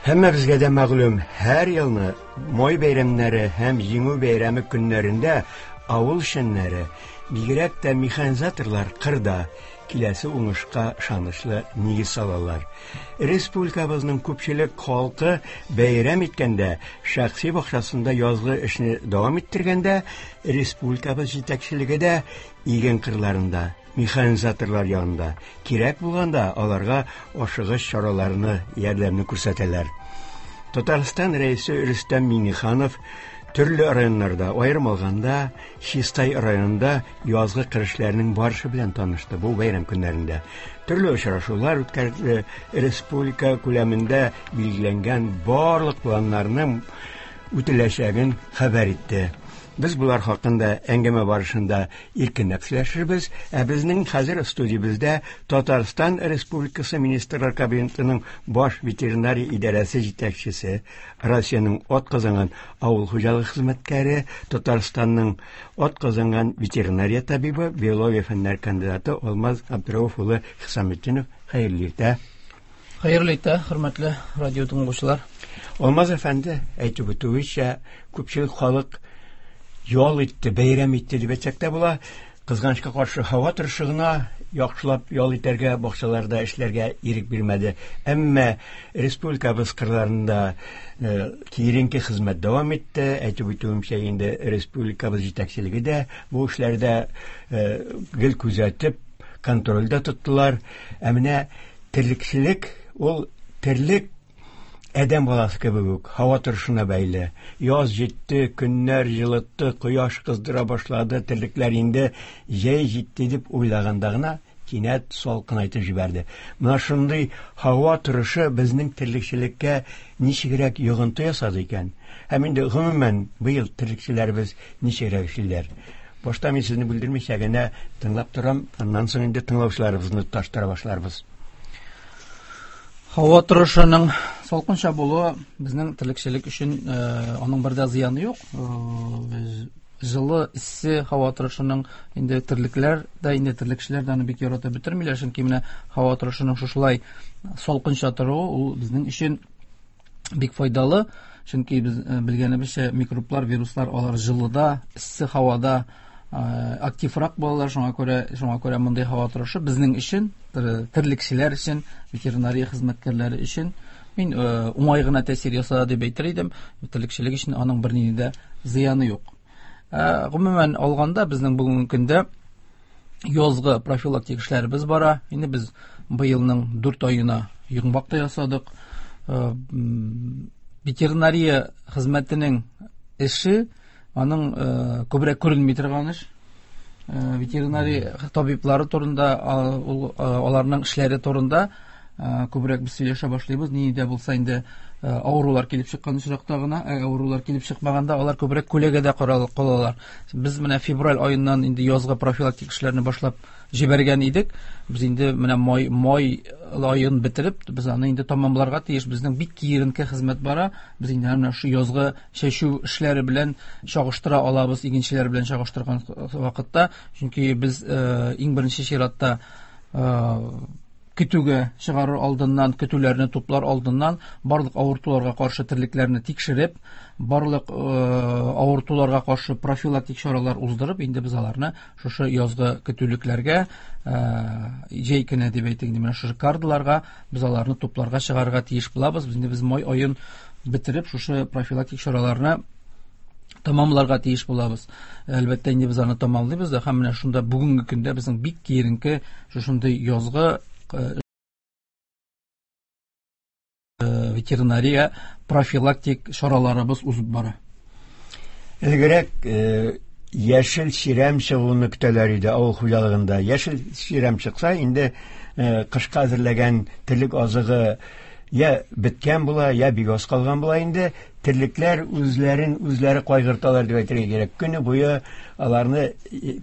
Һәммәбезгә дә мәгълүм, һәр елны май бәйрәмнәре һәм Җиңү бәйрәме көннәрендә авыл эшчәннәре, бигрәк тә механизаторлар кырда киләсе уңышка ышанычлы нигез салалар. Республикабызның күпчелек халкы бәйрәм иткәндә, шәхси бакчасында язгы эшне дәвам иттергәндә, республикабыз җитәкчелеге дә иген кырларында, механизаторлар янында, кирәк булганда аларга ашыгыч чараларны, ярдәмне күрсәтәләр. Татарстан Рәисе Рөстәм Миңнеханов төрле районнарда, аерым алганда, Чистай районында язгы кыр эшләренең барышы белән танышты бу бәйрәм көннәрендә. Төрле очрашулар үткәрде, республика күләмендә билгеләнгән барлык планнарның үтеләчәген хәбәр итте. Без болар хакында әңгәмә барышында иркенләп сөйләшербез. Ә безнең хәзер студиябездә Татарстан Республикасы Министрлар Кабинетының баш ветеринария идарәсе җитәкчесе, Россиянең атказанган авыл хуҗалыгы хезмәткәре, Татарстанның атказанган ветеринария табибы, биология фәннәр кандидаты Алмаз Абдрауф улы Хисаметдинов. Хәерле иртә. Хәерле иртә, хөрмәтле радио тыңлаучылар. Алмаз әфәнде, әйтеп үтүенчә, күпчелек халык ял итте, бәйрәм итте дип әйтсәк тә була. Кызганычка каршы, һава торышы гына яхшылап ял итәргә, бакчаларда эшләргә ирек бирмәде. Әмма республикабыз кырларында э, киеренке хезмәт дәвам итте. Әйтеп үтүемчә, инде республикабыз җитәкчелеге дә бу эшләрдә э, гел күзәтеп, контрольдә тоттылар. Ә менә терлекчелек ул терлек адәм баласы кебек үк һава торышына бәйле. Яз җитте, көннәр җылытты, кояш кыздыра башлады, терлекләр инде җәй җитте дип уйлаганда гына кинәт салкынайтып җибәрде. Менә шундый һава торышы безнең терлекчелеккә ничегрәк йогынты ясады икән? Һәм инде гомумән быел терлекчеләребез ничегрәк эшлиләр? Башта мин сезне бүлдермичә генә тыңлап торам, аннан соң инде тыңлаучыларыбызны тоташтыра башларбыз. Һава торышының салкынча булуы безнең терлекчелек өчен э, аның бер дә зыяны юк. Э, җылы, эссе һава торышының инде терлекләр дә, инде терлекчеләр дә аны бик яратып бетермиләр, чөнки менә һава торышының шушылай салкынча торуы ул безнең өчен бик файдалы, чөнки без э, белгәнебезчә микроблар, вируслар алар җылыда, эссе һавада э, активрак булалар, шуңа күрә шуңа күрә мондый һава торышы безнең өчен, терлекчеләр өчен, ветеринария хезмәткәрләре өчен мин э, уңай гына тәэсир ясады дип әйтер идем. Терлекчелек өчен аның бернинди дә зыяны юк. Гомумән алганда безнең бүгенге көндә язгы профилактик эшләребез бара. Инде без быелның 4 аена йомгак та ясадык. Э, ветеринария хезмәтенең эше аның э, күбрәк күренми торган эш. Э, ветеринария табиблары турында, аларның эшләре турында күбрәк без сөйләшә башлыйбыз. Нинди дә булса инде авырулар килеп чыккан очракта гына, ә авырулар килеп чыкмаганда алар күбрәк күләгәдә калалар. Без менә февраль аеннан инде язгы профилактик эшләрне башлап җибәргән идек. Без инде менә май май аен бетереп, без аны инде тамамларга тиеш. Безнең бик киеренке хезмәт бара. Без инде менә шу язгы чәчү эшләре белән чагыштыра алабыз, игенчеләр белән чагыштырган вакытта, чөнки без э, иң беренче чиратта э, көтүгә чыгарыр алдыннан, көтүләрне туплар алдыннан барлык авыртуларга каршы терлекләрне тикшереп, барлык э, авыртуларга каршы профилактик чаралар уздырып, инде без аларны шушы язгы көтүлекләргә, э, җәй көне дип әйтик, инде менә шушы кардыларга без аларны тупларга чыгарырга тиеш булабыз. Инде без май аен бетереп, шушы профилактик чараларны тамамларга тиеш булабыз. Әлбәттә, инде без аны тамамлыйбыз да, һәм менә шунда бүгенге көндә безнең бик киеренке шушындый язгы э, ветеринария профилактик чараларыбыз узып бара. Элгерәк э, яшел чирәм чыгуны көтәләр иде авыл хуҗалыгында. Яшел чирәм чыкса, инде э, кышка әзерләгән терлек азыгы я беткән була, я бик аз калган була инде. Терлекләр үзләрен үзләре кайгырталар дип әйтергә кирәк. Көне буе аларны э,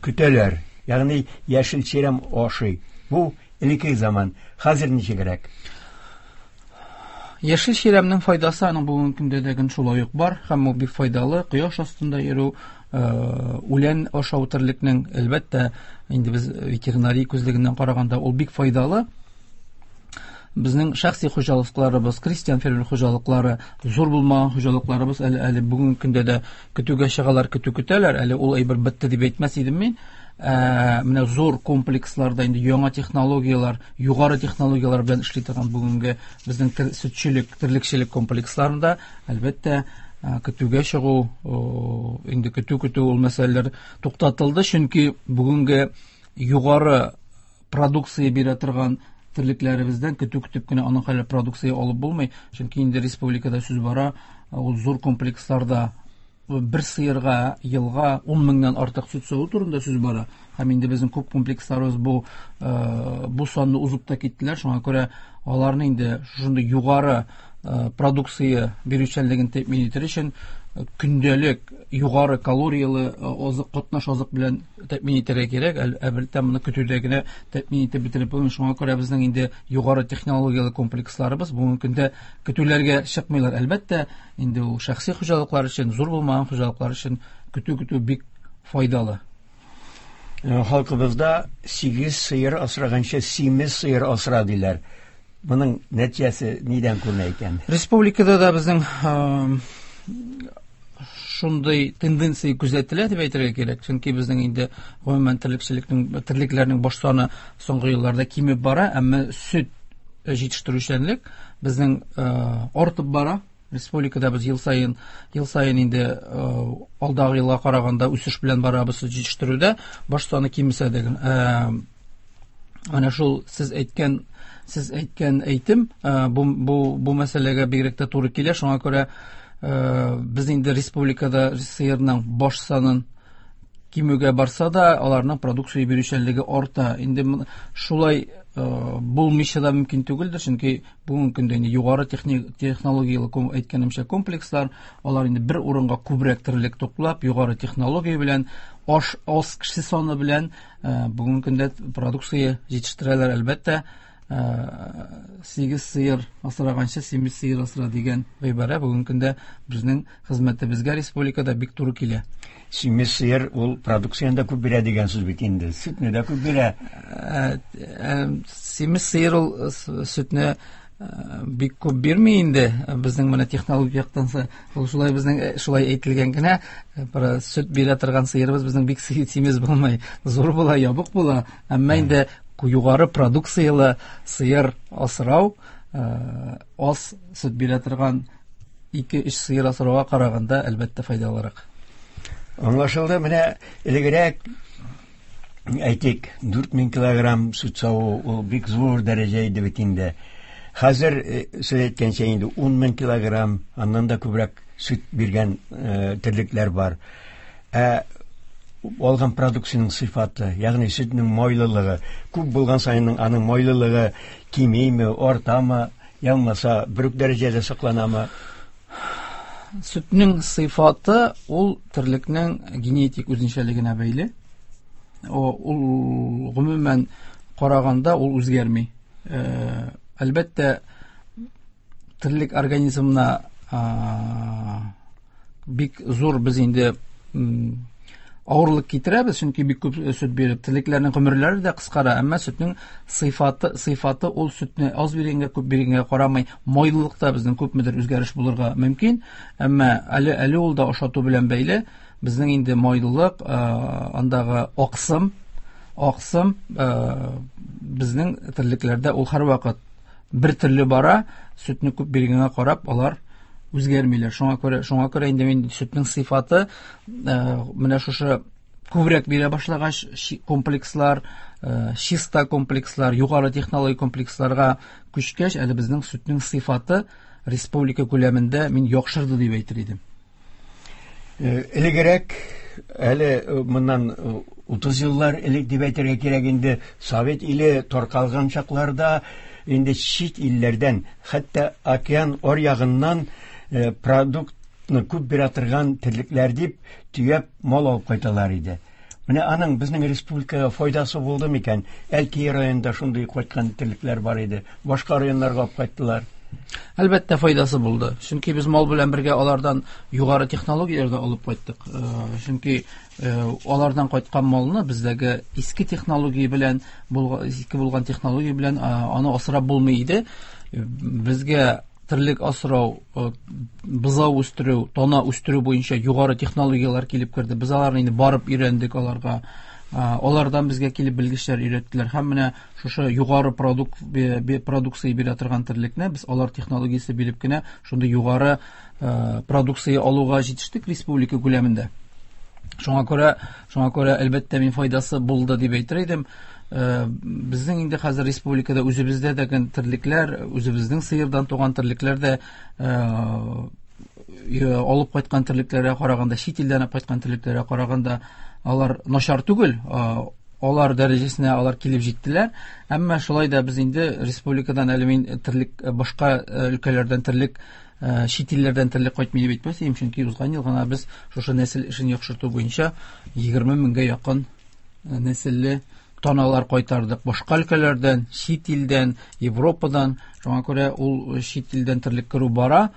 көтәләр. Ягъни яшел чирәм ашый. Бу элекке заман. Хәзер ничегрәк? Яшел чирәмнең файдасы аның бүгенге көндә дә шулай ук бар һәм ул бик файдалы. Кояш астында йөрү, э, үлән ашау терлекнең, әлбәттә, инде без ветеринария күзлегеннән караганда ул бик файдалы. Безнең шәхси хуҗалыкларыбыз, крестьян фермер хуҗалыклары, зур булмаган хуҗалыкларыбыз әле бүгенге көндә дә көтүгә чыгалар, көтү көтәләр. Әле ул әйбер бетте дип әйтмәс идем мин. Менә зур комплексларда инде яңа технологияләр, югары технологияләр белән эшли торган бүгенге безнең сөтчелек, терлекчелек комплексларында, әлбәттә, көтүгә чыгу, инде көтү көтү ул мәсьәләләр туктатылды, чөнки бүгенге югары продукция бирә торган терлекләребездән көтү көтеп кенә аның хәле продукция алып булмый, чөнки инде республикада сүз бара, ул зур комплексларда бер сыерга елга 10 меңнән артык сөт саву турында сүз бара. Һәм инде безнең күп комплексларыбыз бу санны узып та киттеләр. Шуңа күрә аларны инде шушындый югары продукция бирүчәнлеген тәэмин итер өчен көндәлек югары калорияле азык, катнаш азык белән тәэмин итәргә кирәк. Әлбәттә, моны көтүдә генә тәэмин итеп бетереп булмый. Шуңа күрә безнең инде югары технологияле комплексларыбыз бүгенге көндә көтүләргә чыкмыйлар. Әлбәттә, инде ул шәхси хуҗалыклар өчен, зур булмаган хуҗалыклар өчен көтү-көтү бик файдалы. Халкыбызда 8 сыер асраганчы симез сыер асра диләр. Моның нәтиҗәсе нидән күренә икән? Республикада да безнең шундый тенденция күзәтелә дип әйтергә кирәк. Чөнки безнең инде гомумән терлекләрнең баш саны соңгы елларда кимеп бара, әмма сөт җитештерүчәнлек безнең артып бара. Республикада без ел саен инде алдагы елга караганда үсеш белән барабыз сөт җитештерүдә, баш саны кимесә дә. Менә шул сез әйткән әйтем, бу мәсьәләгә бигрәк тә туры килә. Шуңа күрә без инде республикада сыерның баш санын кимүгә барса да, аларның продукция бирүчәнлеге арта. Инде шулай булмыйча да мөмкин түгелдер, чөнки бүгенге көндә инде югары технологияле әйткәнемчә комплекслар, алар инде бер урынга күбрәк терлек туплап, югары технология белән, аз кеше саны белән бүгенге көндә продукция җитештерәләр. Әлбәттә, 8 сыер асраганчы симез сыер асра дигән гыйбарә бүгенге көндә безнең хезмәтебезгә республикада бик туры килә. Симез сыер ул продукцияне дә күп бирә дигән сүз бит инде. Сөтне дә күп бирә. Симез сыер ул сөтне бик күп бирми инде. Безнең менә технологик яктан ул шулай безнең шулай әйтелгән генә, бер сөт бирә торган сыерыбыз безнең бик симез булмый, зур була, ябык була. Әмма инде югары продукциялы сыер асрау, аз сөт бирә торган 2-3 сыер асрауга караганда әлбәттә файдалырак. Аңлашылды. Менә элегрәк әйтик, 4000 килограмм сөт саву ул бик зур дәрәҗә иде бит инде. Хәзер сез әйткәнчә инде 10000 килограмм, аннан да күбрәк сөт биргән терлекләр бар. Ә алган продукциянең сыйфаты, ягъни сөтнең майлылыгы, күп булган саен аның майлылыгы кимиме, артамы, я булмаса бер үк дәрәҗәдә сакланамы? Сөтнең сыйфаты ул терлекнең генетик үзенчәлегенә бәйле. Ул гомумән караганда ул үзгәрми. Әлбәттә, терлек организмына бик зур без инде авырлык китерәбез, чөнки бик күп сөт биреп, терлекләрнең гомерләре дә кыскара, әмма сөтнең сыйфаты ул сөтне аз биргәнгә, күп биргәнгә карамый, майлылыкта безнең күпмедер үзгәреш булырга мөмкин, әмма әле ул да ашату белән бәйле. Безнең инде майлылык, андагы аксым, безнең терлекләрдә ул һәрвакыт бер төрле бара, сөтне күп биргәнгә карап алар үзгәрмиләр. Шуңа күрә инде мин сөтнең сыйфаты, менә шушы күбрәк бирә башлагач, комплекслар, чиста комплекслар, югары технологик комплексларга күчкәч, әле безнең сөтнең сыйфаты республика күләмендә мин яхшырды дип әйтер идем. Элегрәк, әле моннан 30 еллар элек дип әйтергә кирәк инде, Совет иле таркалган чакларда инде чит илләрдән, хәтта океан аръягыннан продуктны күп бирә торган терлекләр дип төяп мал алып кайталар иде. Менә аның безнең республикага файдасы булды микән? Әлки районында шундый кайткан терлекләр бар иде. Башка районнарга алып кайттылар. Әлбәттә, файдасы булды. Чөнки без мал белән бергә алардан югары технологияләр дә алып кайттык. Чөнки алардан кайткан малны бездәге иске технология белән, иске булган технология белән аны асрап булмый иде. Безгә терлек асрау, бозау үстерү, тана үстерү буенча югары технологияләр килеп керде. Без аларны инде барып өйрәндек аларга. Алардан безгә килеп белгечләр өйрәттеләр. Һәм менә шушы югары продукция бирә торган терлекне без алар технологиясе биреп кенә шундый югары продукция алуга җитештек республика күләмендә. Шуңа күрә әлбәттә мин файдасы булды дип әйтер идем. Безнең инде хәзер республикада үзебездә дә терлекләр, үзебезнең сыердан туган терлекләр дә алып кайткан терлекләргә караганда, чит илдән алып кайткан терлекләргә караганда алар начар түгел, алар дәрәҗәсенә алар килеп җиттеләр. Әмма шулай да без инде республикадан әле мин терлек, башка өлкәләрдән терлек, чит илләрдән терлек кайтмый дип әйтмәс идем, чөнки узган ел гына без шушы нәсел эшен яхшырту буенча 20 меңгә якын нәселле таналар кайтардык. Башка өлкәләрдән, чит илдән, Европадан. Шуңа күрә ул чит илдән терлек керү бара.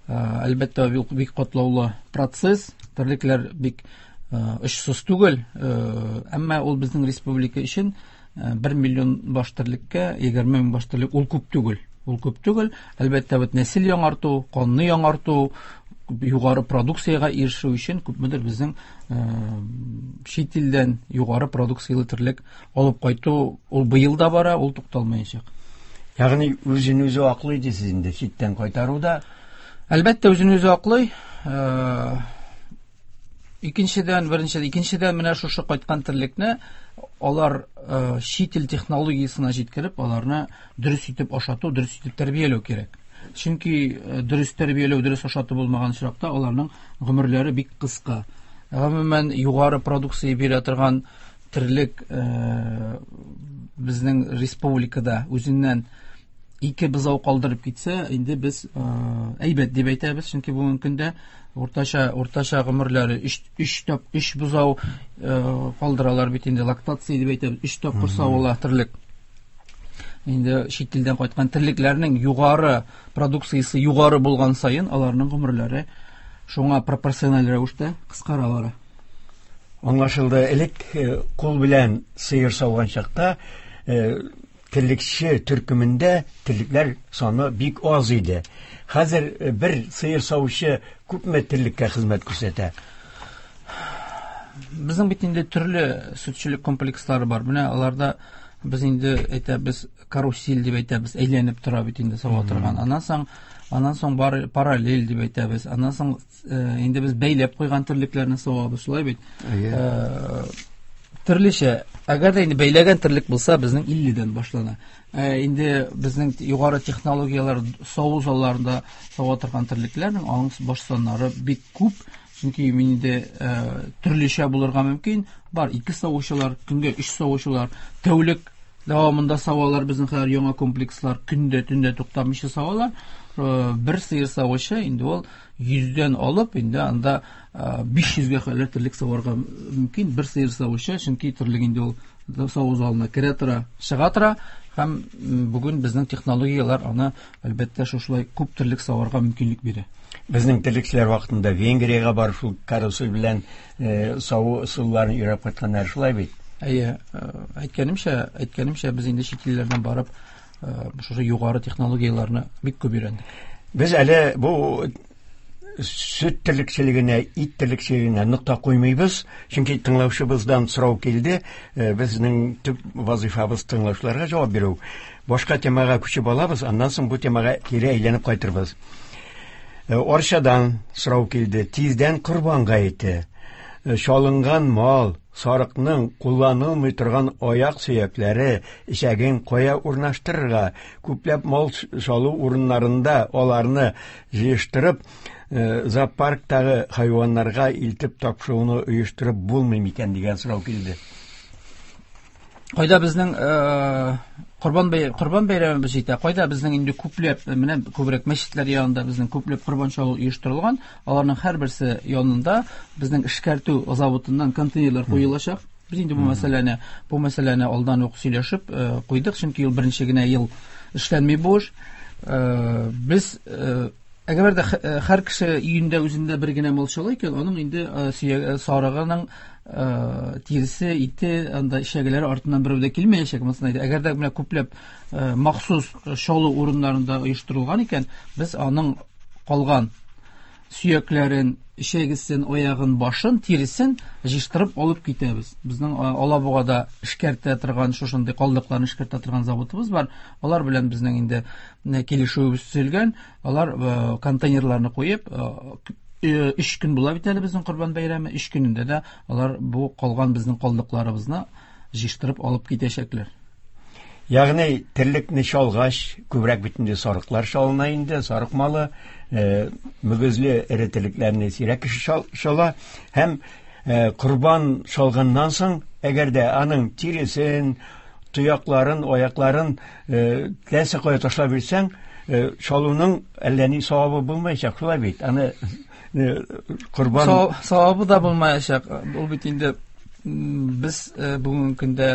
Әлбәттә, бу бик катлаулы процесс. Терлекләр бик очсыз түгел, әмма ул безнең республика өчен 1 миллион баш терлеккә 20 мең баш терлек ул күп түгел. Ул күп түгел. Әлбәттә, бит нәсел яңарту, канны яңарту, югары продукциягә ирешү өчен күпмедер безнең чит илдән югары продукцияле терлек алып кайту ул быел да бара, ул тукталмаячак. Ягъни үзен үзе аклый дисез инде читтән кайтаруда? Әлбәттә, үзен үзе аклый. Икенчедән, беренчедән, икенчедән менә шушы кайткан терлекне алар чит ил технологиясенә җиткереп, аларны дөрес итеп ашату, дөрес итеп тәрбияләү кирәк. Чөнки дөрес тәрбияләү, дөрес ашату булмаган очракта аларның гомерләре бик кыска. Гомумән, югары продукция бирә торган терлек безнең республикада үзеннән 2 бозау калдырып китсә, инде без әйбәт дип әйтәбез, чөнки бүгенге көндә уртача гомерләре өч бозау калдыралар бит инде, лактация дип әйтәбез, 3 тапкыр савыла терлек. Инде чит илдән кайткан терлекләрнең югары продукциясе югары булган саен аларның гомерләре шуңа пропорциональ рәвештә кыскара бара. Аңлашылды. Элек кул белән сыер сауган чакта терлекче төркемендә терлекләр саны бик аз иде. Хәзер бер сыер савучы күпме терлеккә хезмәт күрсәтә? Безнең бит инде төрле сөтчелек комплекслары бар. Менә аларда без инде әйтәбез, карусель дип әйтәбез, әйләнеп тора бит инде сава торган. Аннан соң бар параллель дип әйтәбез. Аннан соң инде без бәйләп куйган терлекләрне савабыз, шулай бит? Төрлечә, әгәр дә инде бәйләгән терлек булса, безнең 50-дән башлана. Инде безнең югары технологияләр саву залларында сава торган терлекләрнең аның баш саннары бик күп. Чөнки мин инде төрлечә булырга мөмкин. Бар 2 савучылар, көнгә 3 савучылар, тәүлек дәвамында савалар, безнең хәзер яңа комплекслар көндә, төндә туктамыйча савалар. Бер сыер савучы инде ул 100-дән алып, инде анда 500-гә кадәр терлек саварга мөмкин бер сыер савучы, чөнки терлек инде ул саву залына керә тора, чыга тора. Һәм бүген безнең технологияләр аны әлбәттә шушылай күп терлек саварга мөмкинлек бирә. Безнең терлекчеләр вакытында Венгриягә барып шул карусель белән саву ысулларын өйрәнеп кайтканнар, шулай бит? Әйе, әйткәнемчә, без инде чит илләрдән барып шушы югары технологияләрне бик күп өйрәндек. Без әле бу сөт терлекчелегенә, ит терлекчелегенә нокта куймыйбыз, чөнки тыңлаучыбыздан сорау килде. Безнең төп вазифабыз тыңлаучыларга җавап бирү. Башка темага күчеп алабыз, аннан соң бу темага кире әйләнеп кайтырбыз. Арчадан сорау килде. Тиздән Корбан гаете. Чалынган мал, сарыкның кулланылмый торган аяк сөякләре эчәген кая урнаштырырга? Күпләп мал салу урыннарында аларны җыештырып, зоопарктагы хайваннарга илтеп тапшыруны оештырып булмый микән дигән сорау килде. Кайда безнең Корбан бәйрәмебез җитә, кайда безнең инде күпләп, менә күбрәк мәчетләр янында безнең күпләп корбан чалу оештырылган, аларның һәрберсе янында безнең эшкәртү заводыннан контейнерлар куелачак. Без инде бу мәсьәләне алдан ук сөйләшеп куйдык, чөнки ул беренче генә ел эшләнми бу эш. Без әгәр дә һәр кеше өендә үзендә бер генә мал чала икән, аның инде сарыгының тиресе, ите, анда эчәгеләре артыннан берәү дә килмәячәк. Монысын әйтә. Әгәр дә менә күпләп махсус чалу урыннарында оештырылган икән, без аның калган сөякләрен, эчәгесен, аягын, башын, тиресен җыештырып алып китәбез. Безнең Алабугада эшкәртә торган, шушындый калдыкларны эшкәртә торган заводыбыз бар. Алар белән безнең инде килешүебез төзелгән. Алар контейнерларны куеп, 3 көн була бит әле безнең Корбан бәйрәме, 3 көнендә дә алар бу калган безнең калдыкларыбызны җыештырып алып китәчәкләр. Ягъни терлекне чалгач, күбрәк бит инде сарыклар чалына инде, сарык малы, мөгезле эре терлекләрне сирәк кеше чала һәм корбан чалганнан соң, әгәр дә аның тиресен, тоякларын, аякларын теләсә кая ташлап бирсәң, чалуның әллә ни савабы булмаячак, шулай бит. Аны корбан савабы да булмаячак. Ул бит инде без бүгенге көндә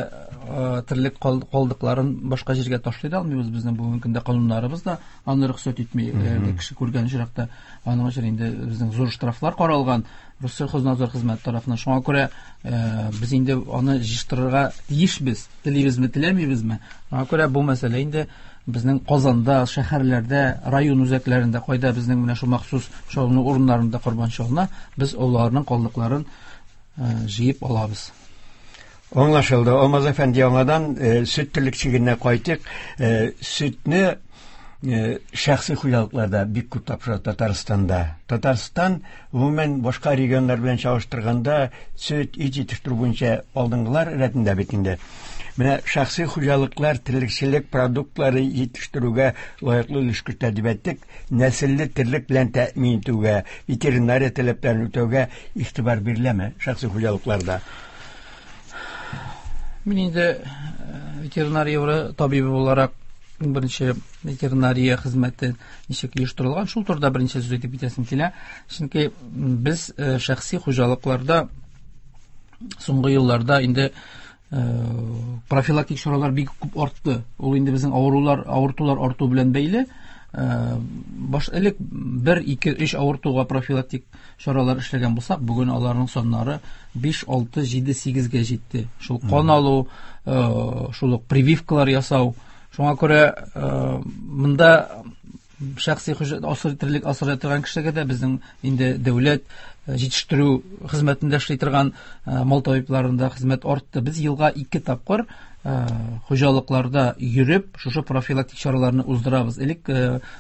терлек калдыкларын башка җиргә ташлый да алмыйбыз. Безнең бүгенге көндә кануннарыбыз да аны рөхсәт итми. Кеше күргән очракта аның өчен инде безнең зур штрафлар каралган Россельхознадзор хезмәте тарафыннан. Шуңа күрә без инде аны җыештырырга тиешбез, телибезме, теләмибезме. Шуңа күрә бу мәсьәлә инде безнең Казанда, шәһәрләрдә, район үзәкләрендә, кайда безнең менә шул махсус чалыну урыннарында корбан чалына, без аларның калдыкларын җыеп алабыз. Аңлашылды. Алмаз әфәнде, яңадан сөт терлекчелегенә кайтыйк. Сөтне шәхси хуҗалыкларда бик күп тапшыра Татарстанда. Татарстан гомумән башка регионнар белән чагыштырганда сөт, ит җитештерү буенча алдынгылар рәтендә бит инде. Менә шәхси хуҗалыклар терлекчелек продуктлары җитештерүгә лаеклы өлеш кертә дип әйттек. Нәселле терлек белән тәэмин итүгә, ветеринария таләпләрен үтәүгә игътибар биреләме шәхси хуҗалыкларда? Мин инде ветеринария табибы буларак беренче ветеринария хезмәте ничек оештырылган, шул турыда беренче сүз әйтеп китәсем килә. Чөнки без шәхси хуҗалыкларда соңгы елларда инде профилактик чаралар бик күп артты. Ул инде безнең авырулар, авыртулар арту белән бәйле. Баш элек 1, 2, 3 авыртуга профилактик чаралар эшләгән булсак, бүген аларның саннары 5, 6, 7, 8-гә җитте. Шул кан алу, шул ук прививкалар ясау. Шуңа күрә монда шәхси терлек асрый торган кешегә дә безнең инде дәүләт җитештерү хезмәтендә эшли торган мал табибларында хезмәт артты. Без елга 2 тапкыр хуҗалыкларда йөреп, шушы профилактик чараларны уздырабыз. Элек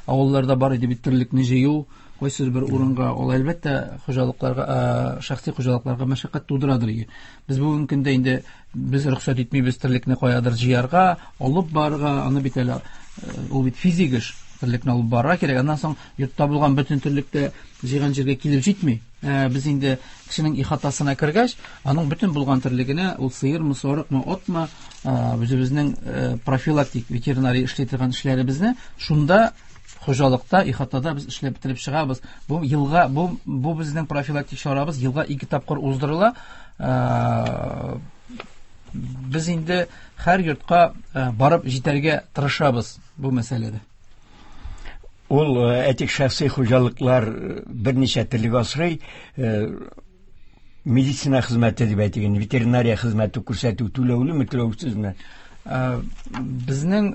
авылларда бар иде бит терлекне җыю, кайсыдыр бер урынга, ул әлбәттә хуҗалыкларга, шәхси хуҗалыкларга мәшәкать тудырадыр иде. Без бүгенге көндә инде без рөхсәт итмибез терлекне каядыр җыярга, алып барырга, аны бит әле ул бит физик эш, терлекне алып барырга кирәк. Аннан соң йортта булган бөтен терлек тә җыйган җиргә килеп җитми. Без инде кешенең ихатасына кергәч, аның бөтен булган терлегенә, ул сыермы, сарыкмы, атмы, үзебезнең профилактик ветеринария эшли торган эшләребезне шунда хуҗалыкта, ихатада без эшләп бетереп чыгабыз. Бу елга, бу безнең профилактик чарабыз елга 2 тапкыр уздырыла. Без инде һәр йортка барып җитәргә тырышабыз бу мәсьәләдә. Ул әйтик шәхси хуҗалыклар берничә терлек асрый, медицина хезмәте дип әйтик, ветеринария хезмәте күрсәтү түләүлеме, түләүсезме? Безнең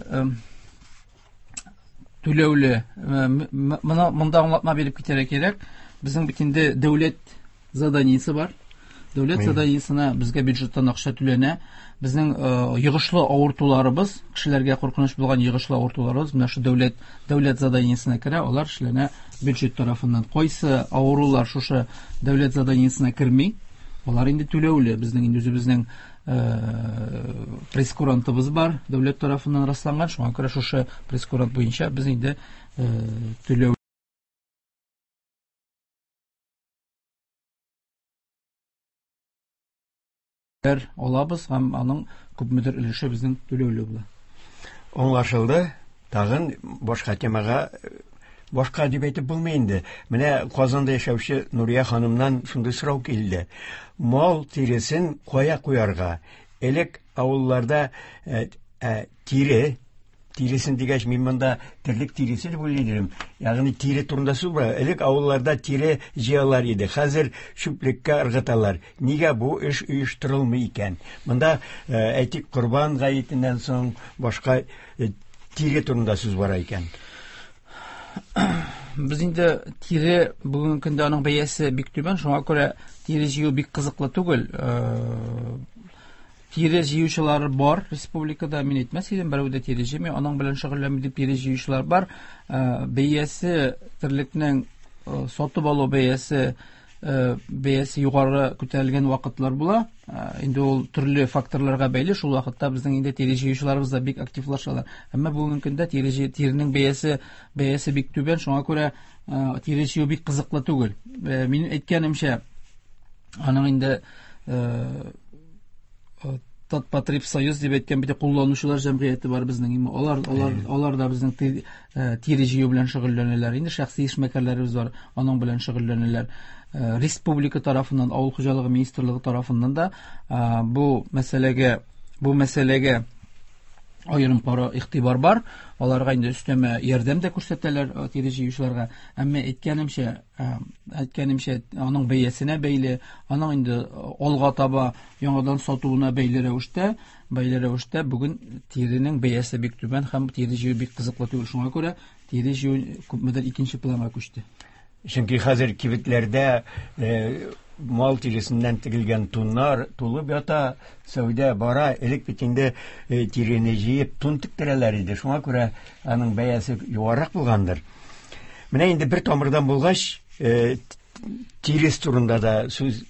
түләүле, монда аңлатма биреп китәргә кирәк. Безнең бит инде дәүләт заданиесе бар. Дәүләт заданиесенә безгә бюджеттан акча түләнә. Безнең йогышлы авыртуларыбыз, кешеләргә куркыныч булган йогышлы авыртуларыбыз менә шу дәүләт заданиесенә керә, алар эшләнә бюджет тарафыннан. Кайсы авырулар шушы дәүләт заданиесенә керми, алар инде түләүле. Безнең инде үзебезнең прейскурантыбыз бар, дәүләт тарафыннан расланган, шуңа күрә шушы прейскурант буенча без инде түләү алабыз һәм аның күпмедер өлеше безнең түләүле була. Аңлашылды. Тагын башка темага, башка дип әйтеп булмый инде. Менә Казанда яшәүче Нурия ханымнан шундый сорау килде. Мал тиресен кая куярга? Элек авылларда тире Тиресен дигәч, мин монда терлек тиресе дип уйлый идем. Ягъни тире турында сүз бара. Элек авылларда тире җыялар иде. Хәзер чүплеккә ыргыталар. Нигә бу эш оештырылмый икән? Монда, әйтик, Корбан гаетеннән соң башка тире турында сүз бара икән. Без инде тире бүгенге көндә аның бәясе бик түбән, шуңа күрә тире җыю бик кызыклы түгел. Тире җыючылар бар республикада, мин әйтмәс идем, берәү дә тире җыймый, аның белән шөгыльләнми дип тире җыючылар бар. Бәясе терлекнең сатып алу бәясе бәясе югары күтәрелгән вакытлар була. Инде ул төрле факторларга бәйле, шул вакытта безнең инде тире җыючыларыбыз да бик активлашалар. Әмма бүгенге көндә тире тиренең бәясе бәясе бик түбән, шуңа күрә тире җыю бик кызыклы түгел. Мин әйткәнемчә, аның инде Татпотребсоюз дип әйткән бит кулланучылар җәмгыяте бар безнең. Алар алар алар да безнең тире җыю белән шөгыльләнәләр. Инде шәхси эшмәкәрләребез бар, аның белән шөгыльләнәләр. Республика тарафыннан, авыл хуҗалыгы министрлыгы тарафыннан да бу мәсьәләгә бу мәсьәләгә аерым пара игътибар бар. Аларга инде өстәмә ярдәм дә күрсәтәләр тире җыючыларга. Әмма әйткәнемчә, әйткәнемчә, аның бәясенә бәйле, аның инде алга таба яңадан сатуына бәйле рәвештә, бәйле рәвештә бүген тиренең бәясе бик түбән һәм тире җыю бик кызыклы түгел. Шуңа күрә тире җыю күпмедер икенче планга күчте. Чөнки хәзер кибетләрдә мал тиресеннән тегелгән туннар тулып ята, сәүдә бара. Элек бит инде тирене җыеп тун тектерәләр иде. Шуңа күрә аның бәясе югарырак булгандыр. Менә инде бер тамырдан булгач, тирес турында да сүз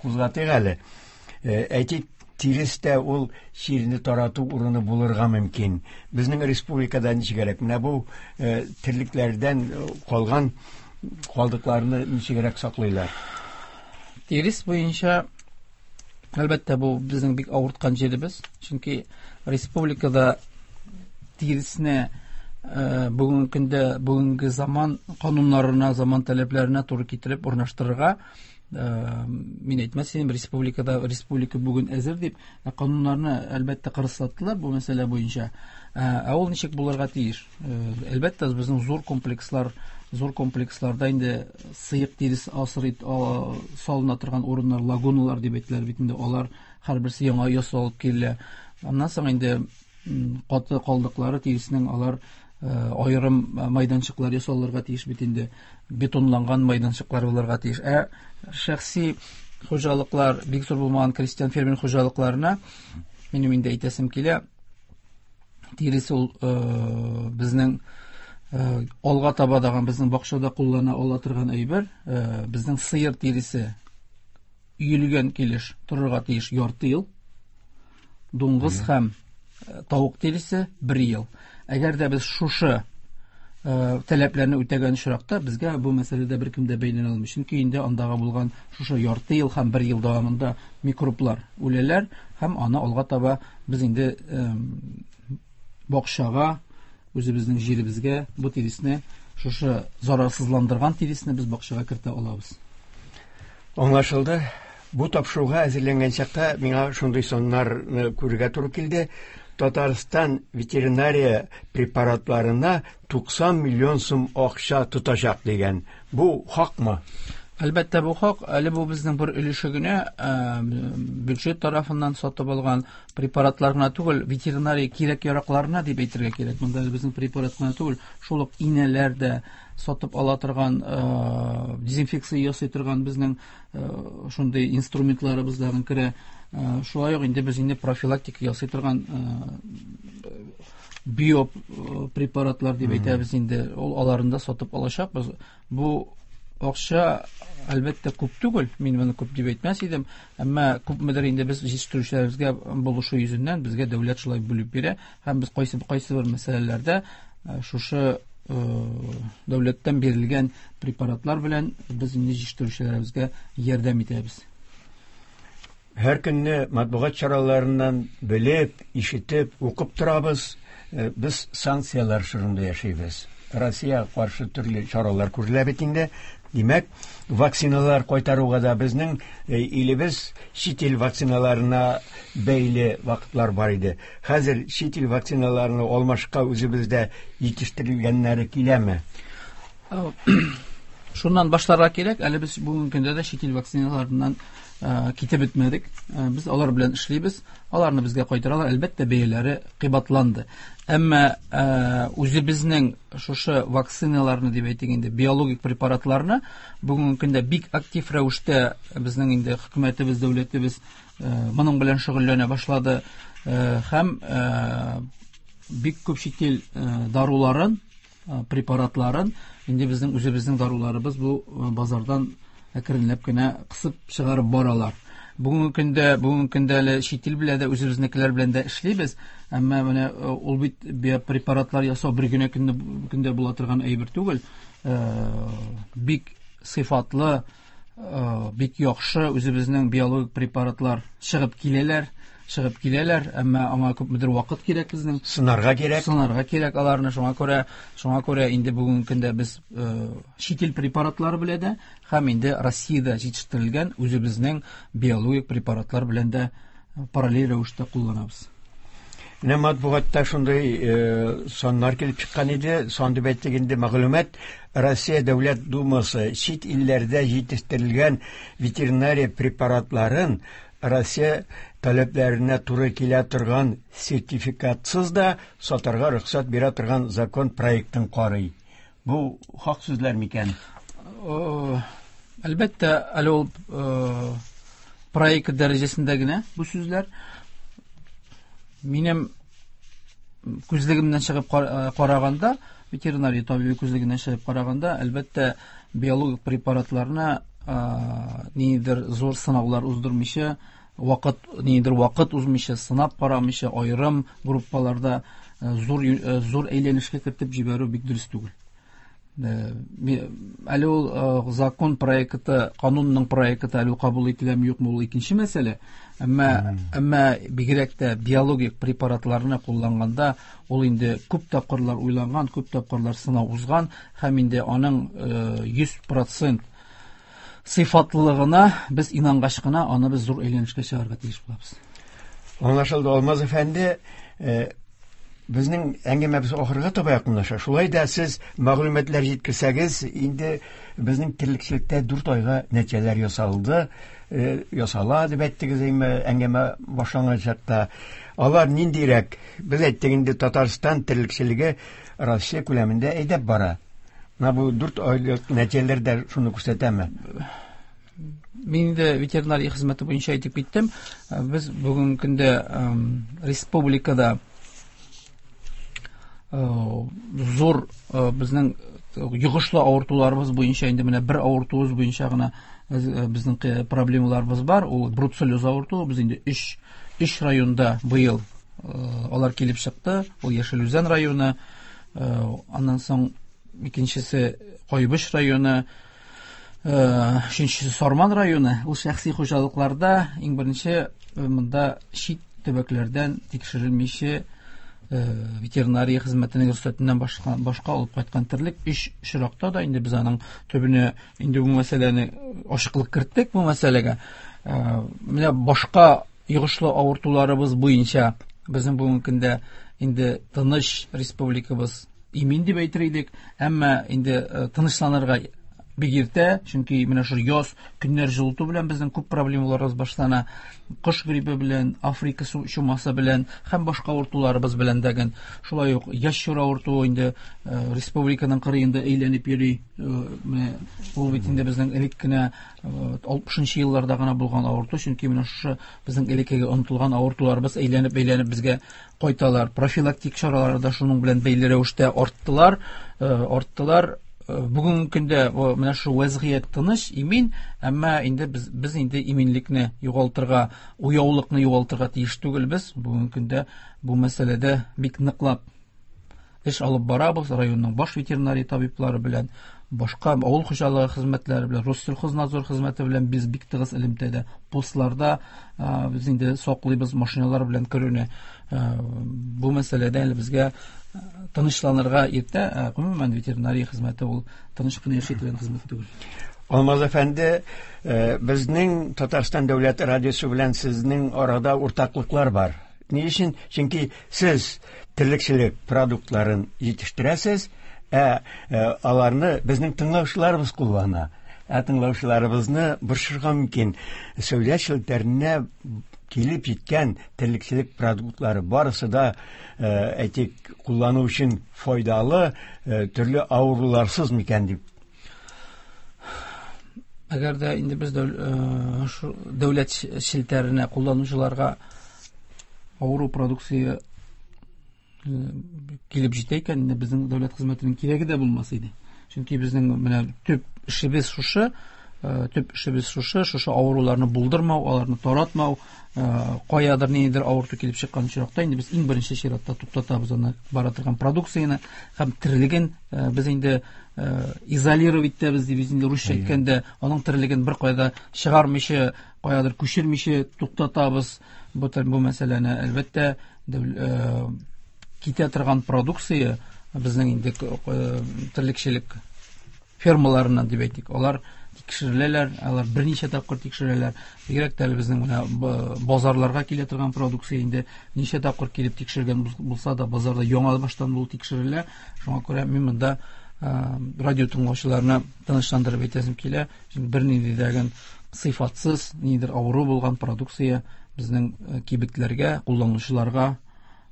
кузгатыйк әле. Әйтик, тирес тә ул чирне тарату урыны булырга мөмкин. Безнең республикада ничегрәк? Менә бу терлекләрдән калган калдыкларны ничегрәк саклыйлар? Тирес буенча, әлбәттә, бу безнең бик авырткан җиребез. Чөнки республикада тиресне бүгенге көндә бүгенге заман кануннарына, заман таләпләренә туры китереп урнаштырырга, мин әйтмәс идем, республикада республика бүген әзер дип, кануннарны әлбәттә кырыслаттылар бу мәсьәлә буенча. Ә ул ничек булырга тиеш? Әлбәттә, безнең зур комплекслар, зур комплексларда инде сыек тирес асрый салына торган урыннар, лагуналар дип әйтелә бит инде, алар һәрберсе яңа ясалып килә. Аннан соң инде каты калдыклары тиреснең алар аерым майданчыклар ясалырга тиеш бит инде, бетонланган майданчыклар булырга тиеш. Ә шәхси хуҗалыклар, бик зур булмаган крестьян фермер хуҗалыкларына минем инде әйтәсем килә, тирес ул безнең алга таба даган безнең бакчада куллана ала торган әйбер. Безнең сыер тиресе өелгән килеш торырга тиеш ярты ел, дуңгыз һәм тавык тиресе бер ел. Әгәр дә без шушы таләпләрне үтәгән очракта, безгә бу мәсьәләдә беркем дә бәйләнә алмый. Чөнки инде андагы булган шушы ярты ел һәм бер ел дәвамында микроблар үләләр һәм аны алга таба без инде бакчага, үзебезнең җиребезгә бу тиресне, шушы зарарсызландырган тиресне без бакчага кертә алабыз. Аңлашылды. Бу тапшыруга әзерләнгән чакта миңа шундый саннарны күрергә туры килде. Татарстан ветеринария препаратларына 90 миллион сум акча тотачак дигән. Бу хакмы? Әлбәттә, бу хак. Әле бу безнең бер өлеше генә, бюджет тарафыннан сатып алган препаратлар гына түгел, ветеринария кирәк-яракларына дип әйтергә кирәк. Монда әле безнең препарат кына түгел, шул ук инәләр дә сатып ала торган, дезинфекция ясый торган безнең шундый инструментларыбыз да керә. Шулай ук инде без инде профилактика ясый торган био препаратлар дип әйтәбез инде, ул аларын да сатып алачакбыз. Бу акча әлбәттә күп түгел, мин моны күп дип әйтмәс идем, әмма күпмедер инде без җитештерүчеләребезгә булышу йөзеннән безгә дәүләт шулай бүлеп бирә һәм без кайсы кайсы бер мәсьәләләрдә шушы дәүләттән бирелгән препаратлар белән без инде җитештерүчеләребезгә ярдәм итәбез. Һәр көнне матбугат чараларыннан белеп, ишетеп, укып торабыз. Без санкцияләр чорында яшибез. Россиягә каршы төрле чаралар күрелә бит инде. Димәк, вакциналар кайтаруга да безнең илебез чит ил вакциналарына бәйле вакытлар бар иде. Хәзер чит ил вакциналарына алмашка үзебездә җитештерелгәннәре киләме? Шуннан башларга кирәк, әле без бүгенге көндә дә чит ил вакциналарыннан китеп бетмәдек. Без алар белән эшлибез. Аларны безгә кайтаралар. Әлбәттә, бәяләре кыйбатланды. Әмма үзебезнең шушы вакциналарны дип әйтик инде, биологик препаратларны бүгенге көндә бик актив рәвештә безнең инде хөкүмәтебез, дәүләтебез моның белән шөгыльләнә башлады һәм бик күп чит ил даруларын, препаратларын инде безнең үзебезнең даруларыбыз бу базардан әкренләп кенә кысып чыгарып баралар. Бүгенге көндә әле чит ил белән дә, үзебезнекеләр белән дә эшлибез. Әмма менә ул бит биопрепаратлар ясау бер генә көндә була торган әйбер түгел. Бик сыйфатлы, бик яхшы үзебезнең биологик препаратлар чыгып киләләр, әмма аңа күпмедер вакыт кирәк безнең. Сынарга кирәк. Сынарга кирәк аларны. Шуңа күрә инде бүгенге көндә без чит ил препаратлары белән дә һәм инде Россиядә җитештерелгән үзебезнең биологик препаратлар белән дә параллель рәвештә кулланабыз. Менә матбугатта шундый саннар килеп чыккан иде. Сан дип әйтик инде, мәгълүмат. Россия Дәүләт Думасы чит илләрдә җитештерелгән ветеринария препаратларын Россия таләпләренә туры килә торган сертификатсыз да сатарга рөхсәт бирә торган закон проектын карый. Бу хак сүзләр микән? Әлбәттә, әле ул проект дәрәҗәсендә генә бу сүзләр. Минем күзлегемнән чыгып караганда, ветеринария табибы күзлегеннән чыгып караганда, әлбәттә, биологик препаратларны ниндидер зур сынаулар уздырмыйча, ниндидер вакыт узмыйча, сынап карамыйча, аерым группаларда зур әйләнешкә кертеп җибәрү бик дөрес түгел. Әле ул закон проекты, канунның проекты әле кабул ителәме юкмы, ул икенче мәсьәлә. Әмма бигрәк тә биологик препаратларны кулланганда ул инде күп тапкырлар уйланган, күп тапкырлар сынау узган һәм инде аның 100% сыйфатлылыгына без инангач кына аны без зур әйләнешкә чыгарырга тиеш булабыз. Аңлашылды, Алмаз әфәнде. Безнең әңгәмәбез ахырга таба якынлаша. Шулай да сез мәгълүматлар җиткерсәгез, инде безнең терлекчелектә 4 айга нәтиҗәләр ясалды, ясала дип әйттегез инде әңгәмә башланган чакта. Алар ниндирәк? Без әйттек инде, Татарстан терлекчелеге Россия күләмендә әйдәп бара. Менә бу 4 айлык нәтиҗәләр дә шуны күрсәтәме? Мин инде ветеринария хезмәте буенча әйтеп киттем. Без бүгенге көндә республикада зур безнең йогышлы авыртуларыбыз буенча инде менә бер авыртуыбыз буенча гына безнең проблемаларыбыз бар. Ул бруцеллез авыртуы. Без инде өч районда быел алар килеп чыкты. Ул Яшел Үзән районы, аннан соң икенчесе Кайбыч районы, өченчесе Сарман районы. Ул шәхси хуҗалыкларда иң беренче монда чит төбәкләрдән тикшерелмичә ветеринария хезмәтенең рөхсәтеннән башка алып кайткан терлек өч очракта да инде без аның төбенә инде бу мәсьәләне ачыклык керттек бу мәсьәләгә. Менә башка йогышлы авыртуларыбыз буенча безнең бүгенге көндә инде тыныч республикабыз имин дип әйтер идек, әмма инде тынычланырга бик иртә, чөнки менә шул яз көннәр җылыту белән безнең күп проблемаларыбыз башлана. Кош гриппы белән, Африка чумасы белән һәм башка авыртуларыбыз белән дәген. Шулай ук ящур авыртуы инде республиканың кырыенда әйләнеп йөри. Менә ул бит инде безнең элек кенә алтмышынчы елларда гына булган авырту, чөнки менә шушы безнең элеккеге онытылган авыртуларыбыз әйләнеп-әйләнеп безгә кайталар. Профилактик чаралары да шуның белән бәйле рәвештә арттылар. Бүгенге көндә менә шу вәзгыять тыныч, имин, әмма инде без инде иминлекне югалтырга, уяулыкны югалтырга тиеш түгелбез. Бүгенге көндә бу мәсьәләдә бик ныклап эш алып барабыз районның баш ветеринария табиблары белән, башка авыл хуҗалыгы хезмәтләре белән, Россельхознадзор хезмәте белән без бик тыгыз элемтәдә. Постларда без инде саклыйбыз машиналар белән керүне. Бу мәсьәләдә әле безгә тынычланырга иртә. Гомумән, ветеринария хезмәте ул тыныч кына яши торган хезмәт түгел. Алмаз әфәнде, безнең Татарстан дәүләт радиосы белән сезнең арада уртаклыклар бар. Ни өчен? Чөнки сез терлекчелек продуктларын җитештерәсез, ә аларны безнең тыңлаучыларыбыз куллана. Ә тыңлаучыларыбызны борчырга мөмкин. Сәүдә челтәренә килеп җиткән терлекчелек продуктлары барысы да, әйтик, куллану өчен файдалы, төрле авыруларсыз микән дип. Әгәр дә инде без дәүләт челтәренә кулланучыларга авыру продукция килеп җитә икән, инде безнең дәүләт хезмәтенең кирәге дә булмас иде. Чөнки безнең менә төп эшебез шушы, төп эшебез шушы, шушы авыруларны булдырмау, аларны таратмау, каядыр ниндидер авырту килеп чыккан очракта инде без иң беренче чиратта туктатабыз аны бара торган продукцияне һәм терлеген без инде изолировать итәбез дип инде русча әйткәндә, аның терлеген бер кайда чыгармыйча, каядыр күчермичә туктатабыз. Бу мәсьәләне әлбәттә китә торган продукция безнең инде терлекчелек фермаларыннан дип әйтик, алар тикшереләләр, алар берничә тапкыр тикшереләләр. Бигрәк тә әле безнең менә базарларга килә торган продукция инде ничә тапкыр килеп тикшергән булса да, базарда яңа баштан бул тикшерелә. Шуңа күрә мин монда радио тыңлаучыларны тынычландырып әйтәсем килә. Чөнки бернинди дә сыйфатсыз, ниндидер авыру булган продукция безнең кибетләргә, кулланучыларга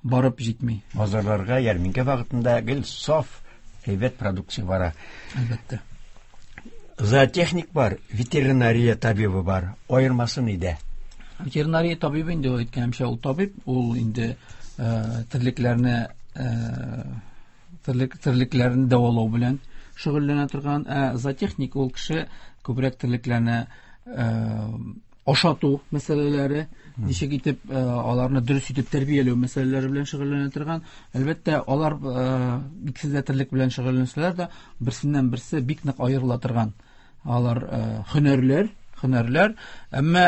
барып җитми. Базарларга ярминкә вакытында гел саф, әйбәт продукция бара. Әлбәттә. Зоотехник бар, ветеринария табибы бар. Аермасы нидә? Ветеринария табибы инде ул әйткәнемчә, ул табиб, ул инде терлекләрне терлекләрне дәвалау белән шөгыльләнә торган, ә зоотехник ул кеше күбрәк терлекләрне ашату мәсьәләләре, ничек итеп аларны дөрес итеп тәрбияләү мәсьәләләре белән шөгыльләнә торган. Әлбәттә, алар икесе дә терлек белән шөгыльләнсәләр дә, берсеннән берсе бик нык аерыла торган. Алар һөнәрләр, әмма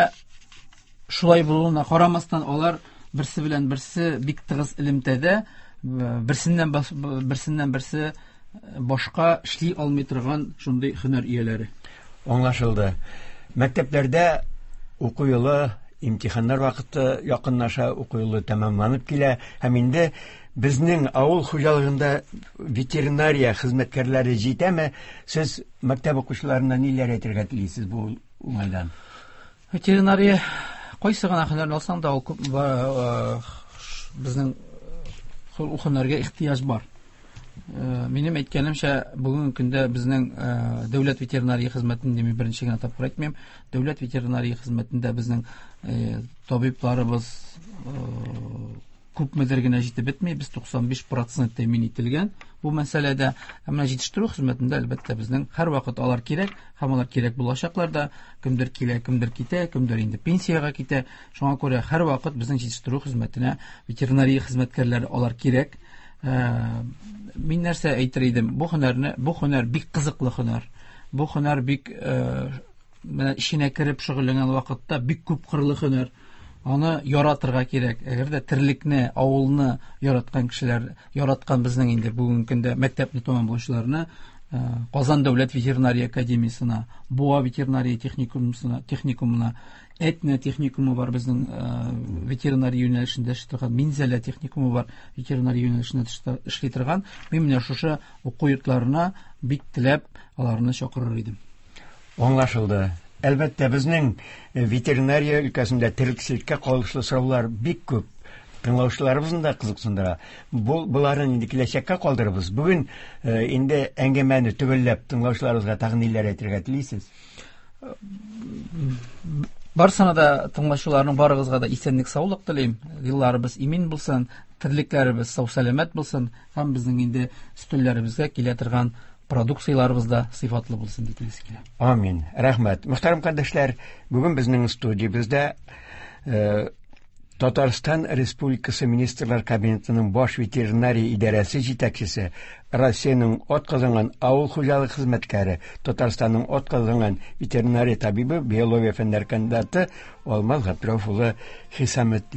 шулай булуына карамастан, алар берсе белән берсе бик тыгыз элемтәдә, берсеннән берсе башка эшли алмый торган шундый һөнәр ияләре. Аңлашылды. Мәктәпләрдә уку елы, имтиханнар вакыты якынлаша, уку елы тәмамланып килә һәм инде безнең авыл хуҗалыгында ветеринария хезмәткәрләре җитәме? Сез мәктәп укучыларына ниләр әйтергә телисез бу уңайдан? Ветеринария кайсы гына һөнәрне алсаң да, ул күп, безнең ул һөнәргә ихтыяҗ бар. Минем әйткәнемчә, бүгенге көндә безнең дәүләт ветеринария хезмәтен, мин беренче генә тапкыр әйтмим, дәүләт ветеринария хезмәтендә безнең табибларыбыз күпмедер генә җитеп бетми, без 95% тәэмин ителгән бу мәсьәләдә. Ә менә җитештерү хезмәтендә әлбәттә безнең һәрвакыт алар кирәк һәм алар кирәк булачаклар да. Кемдер килә, кемдер китә, кемдер инде пенсиягә китә. Шуңа күрә һәрвакыт безнең җитештерү хезмәтенә ветеринария хезмәткәрләре алар кирәк. Мин нәрсә әйтер идем? Бу һөнәр бик кызыклы һөнәр. Бу һөнәр бик менә эченә кереп шөгыльләнгән вакытта бик күп кырлы һөнәр. Аны яратырга кирәк. Әгәр дә терлекне, авылны яраткан кешеләр, яраткан безнең инде бүгенге көндә мәктәпне тәмамлаучыларны Казан дәүләт ветеринария академиясенә, Буа ветеринария техникумына, Әтнә техникумы бар безнең ветеринария юнәлешендә эшли торган, Минзәлә техникумы бар ветеринария юнәлешендә эшли торган. Мин менә шушы уку йортларына бик теләп аларны чакырыр идем. Аңлашылды. Әлбәттә, безнең ветеринария өлкәсендә терлекчелеккә кагылышлы сораулар бик күп. Тыңлаучыларыбызны да кызыксындыра. Буларын инде киләчәккә калдырабыз. Бүген инде әңгәмәне төгәлләп тыңлаучыларыбызга тагын ниләр әйтергә телисез? Барсына да тыңлаучыларның барыгызга да исәнлек, саулык телим. Елларыбыз имин булсын, терлекләребез сау-сәламәт булсын һәм безнең инде өстәлләребезгә килә торган продукцияләребез дә сыйфатлы булсын дип телисе килә. Амин. Рәхмәт. Мөхтәрәм кардәшләр, бүген безнең студиябездә Татарстан Республикасы Министрлар Кабинетының баш ветеринария идарәсе җитәкчесе, Россиянең атказанган авыл хуҗалыгы хезмәткәре, Татарстанның атказанган ветеринария табибы, биология фәннәре кандидаты Алмаз Габдрәүф улы Хисаметдин.